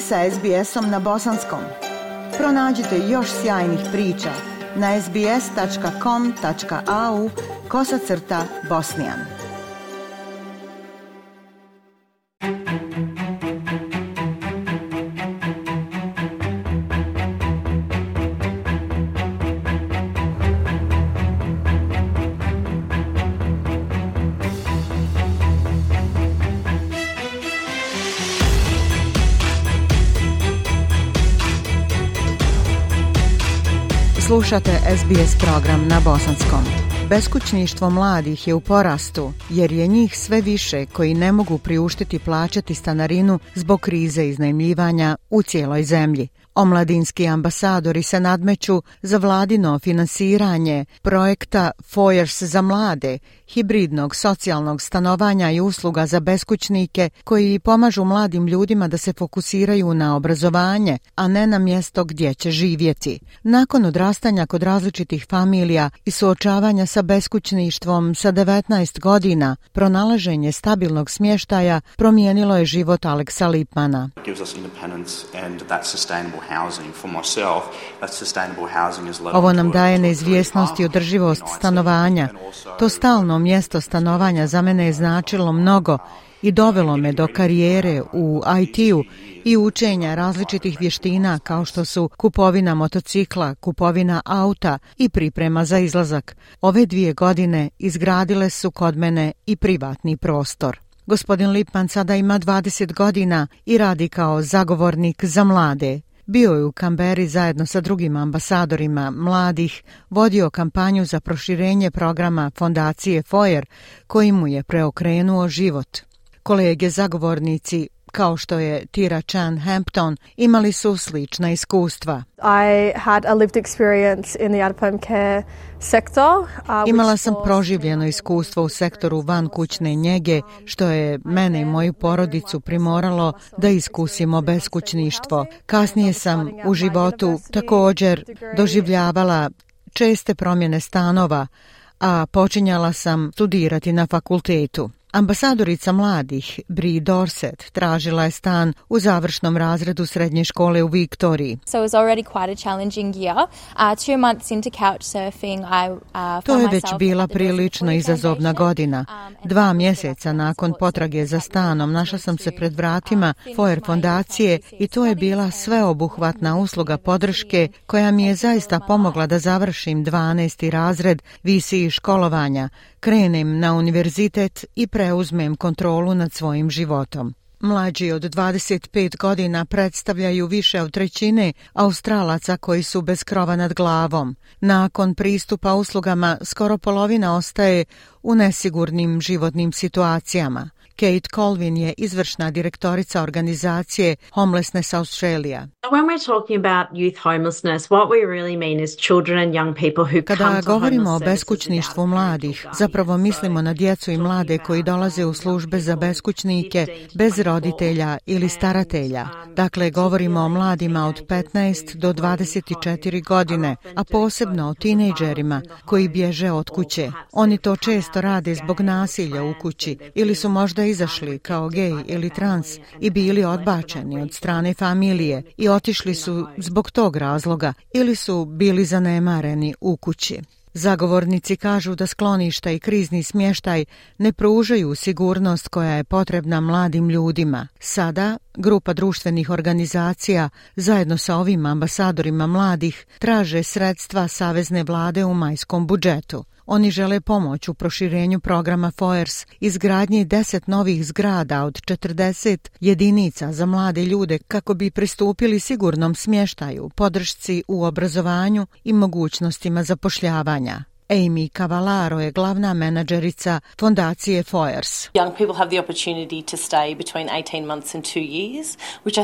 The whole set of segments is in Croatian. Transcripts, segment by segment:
sa SBS-om na bosanskom. Pronađite još sjajnih priča na sbs.com.au/bosnian. Slušate SBS program na bosanskom. Beskućništvo mladih je u porastu jer je njih sve više koji ne mogu priuštiti plaćati stanarinu zbog krize iznajmljivanja u cijeloj zemlji. Omladinski ambasadori se nadmeću za vladino finansiranje projekta Foyers za mlade, hibridnog socijalnog stanovanja i usluga za beskućnike koji pomažu mladim ljudima da se fokusiraju na obrazovanje, a ne na mjesto gdje će živjeti. Nakon odrastanja kod različitih familija i suočavanja sa beskućništvom sa 19 godina, pronalaženje stabilnog smještaja promijenilo je život Aleksa Lipmana. Ovo nam daje neizvjesnost i održivost stanovanja. To stalno mjesto stanovanja za mene je značilo mnogo i dovelo me do karijere u IT-u i učenja različitih vještina kao što su kupovina motocikla, kupovina auta i priprema za izlazak. Ove 2 godine izgradile su kod mene i privatni prostor. Gospodin Lipman sada ima 20 godina i radi kao zagovornik za mlade. Bio je u Kamberi zajedno sa drugim ambasadorima mladih, vodio kampanju za proširenje programa fondacije Foyer, koji mu je preokrenuo život. Kolege zagovornici, kao što je Tira Chan Hampton, imali su slična iskustva. Imala sam proživljeno iskustvo u sektoru vankućne njege, što je mene i moju porodicu primoralo da iskusimo beskućništvo. Kasnije sam u životu također doživljavala česte promjene stanova, a počinjala sam studirati na fakultetu. Ambasadorica mladih, Brie Dorset, tražila je stan u završnom razredu srednje škole u Viktoriji. To je već bila prilično izazovna godina. 2 mjeseca nakon potrage za stanom našla sam se pred vratima Foyer fondacije i to je bila sveobuhvatna usluga podrške koja mi je zaista pomogla da završim 12. razred VCE školovanja, krenem na univerzitet i preuzmem kontrolu nad svojim životom. Mlađi od 25 godina predstavljaju više od 1/3 Australaca koji su bez krova nad glavom. Nakon pristupa uslugama, skoro polovina ostaje u nesigurnim životnim situacijama. Kate Colvin je izvršna direktorica organizacije Homelessness Australia. Kada govorimo o beskućništvu mladih, zapravo mislimo na djecu i mlade koji dolaze u službe za beskućnike bez roditelja ili staratelja. Dakle, govorimo o mladima od 15 do 24 godine, a posebno o tinejdžerima koji bježe od kuće. Oni to često rade zbog nasilja u kući ili su možda izašli kao gej ili trans i bili odbačeni od strane familije i otišli su zbog tog razloga ili su bili zanemareni u kući. Zagovornici kažu da skloništa i krizni smještaj ne pružaju sigurnost koja je potrebna mladim ljudima. Sada grupa društvenih organizacija zajedno sa ovim ambasadorima mladih traže sredstva savezne vlade u majskom budžetu. Oni žele pomoć u proširenju programa Foyers, izgradnji 10 novih zgrada od 40 jedinica za mlade ljude kako bi pristupili sigurnom smještaju, podršci u obrazovanju i mogućnostima zapošljavanja. Amy Cavallaro je glavna menadžerica fondacije Foyers.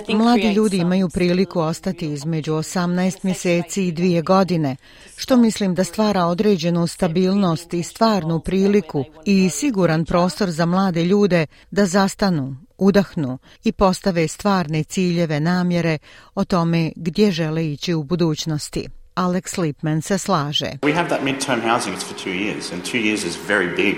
Mladi ljudi imaju priliku ostati između 18 mjeseci i 2 godine, što mislim da stvara određenu stabilnost i stvarnu priliku i siguran prostor za mlade ljude da zastanu, udahnu i postave stvarne ciljeve, namjere o tome gdje žele ići u budućnosti. Alex Lipman se slaže. We have that midterm housing, it's for 2 years, and 2 years is very big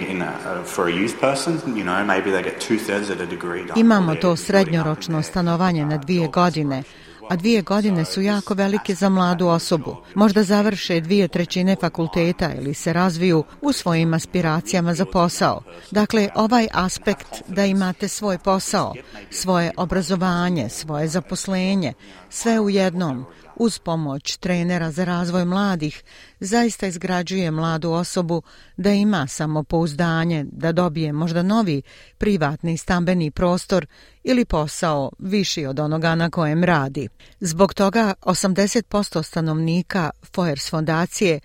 for a youth person. You know, maybe they get 2/3 at a degree. Imamo to srednjoročno stanovanje na 2 godine, a 2 godine su jako velike za mladu osobu. Možda završe 2/3 fakulteta ili se razviju u svojim aspiracijama za posao. Dakle, ovaj aspekt da imate svoj posao, svoje obrazovanje, svoje zaposlenje, sve u jednom, uz pomoć trenera za razvoj mladih, zaista izgrađuje mladu osobu da ima samopouzdanje, da dobije možda novi privatni stambeni prostor ili posao viši od onoga na kojem radi. Zbog toga 80% stanovnika Foyers fondacije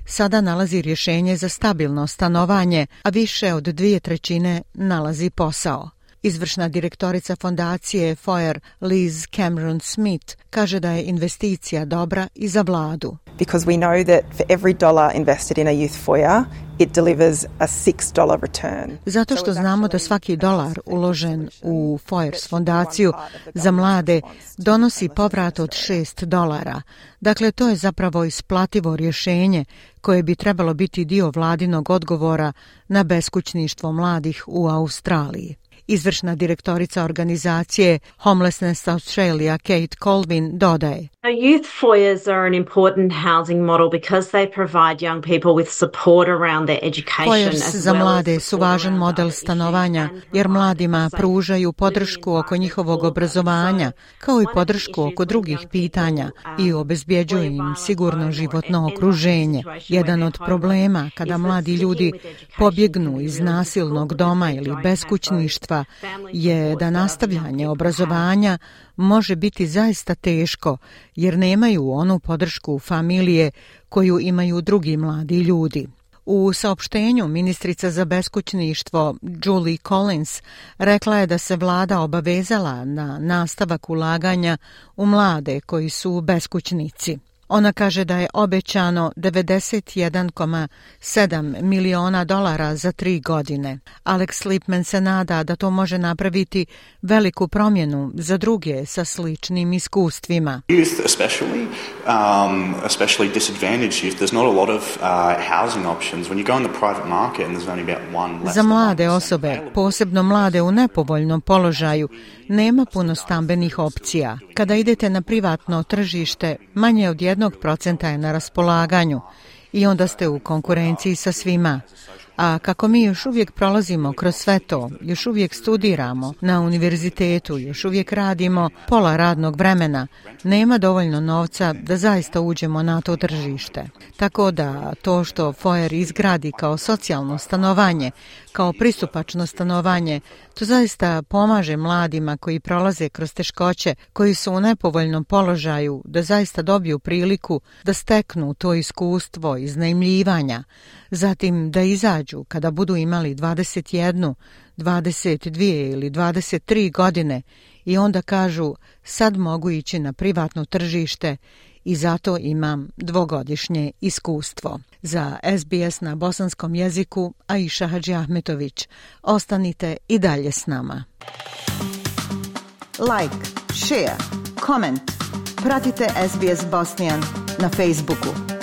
sada nalazi rješenje za stabilno stanovanje, a više od 2/3 nalazi posao. Izvršna direktorica fondacije Foyer, Liz Cameron Smith, kaže da je investicija dobra i za vladu. Because we know that for every dollar invested in a youth foyer, it delivers a $6 return. Zato što znamo da svaki dolar uložen u Foyers fondaciju za mlade donosi povrat od $6. Dakle, to je zapravo isplativo rješenje koje bi trebalo biti dio vladinog odgovora na beskućništvo mladih u Australiji. Izvršna direktorica organizacije Homelessness Australia, Kate Colvin, dodaje. Youth foyers are an important housing model because they provide young people with support around their education. Foyers za mlade su važan model stanovanja jer mladima pružaju podršku oko njihovog obrazovanja kao i podršku oko drugih pitanja i obezbjeđuju im sigurno životno okruženje. Jedan od problema kada mladi ljudi pobjegnu iz nasilnog doma ili beskućništva je da nastavljanje obrazovanja može biti zaista teško jer nemaju onu podršku familije koju imaju drugi mladi ljudi. U saopštenju ministrica za beskućništvo Julie Collins rekla je da se vlada obavezala na nastavak ulaganja u mlade koji su beskućnici. Ona kaže da je obećano $91,7 miliona za 3 godine. Alex Lipman se nada da to može napraviti veliku promjenu za druge sa sličnim iskustvima. Youth especially disadvantaged youth, there's not a lot of housing options. When you go in the private market and there's only about one less. Za mlade osobe, posebno mlade u nepovoljnom položaju, nema puno stambenih opcija. Kada idete na privatno tržište, manje od 1% je na raspolaganju i onda ste u konkurenciji sa svima. A kako mi još uvijek prolazimo kroz sve to, još uvijek studiramo na univerzitetu, još uvijek radimo pola radnog vremena, nema dovoljno novca da zaista uđemo na to tržište. Tako da to što Foyer izgradi kao socijalno stanovanje, kao pristupačno stanovanje, to zaista pomaže mladima koji prolaze kroz teškoće, koji su u nepovoljnom položaju, da zaista dobiju priliku da steknu to iskustvo iznajmljivanja, zatim da izađu kada budu imali 21, 22 ili 23 godine i onda kažu sad mogu ići na privatno tržište i zato imam 2-godišnje iskustvo. Za SBS na bosanskom jeziku Aisha Hadžiahmetović. Ostanite i dalje s nama. Like, share, comment. Pratite SBS Bosnian na Facebooku.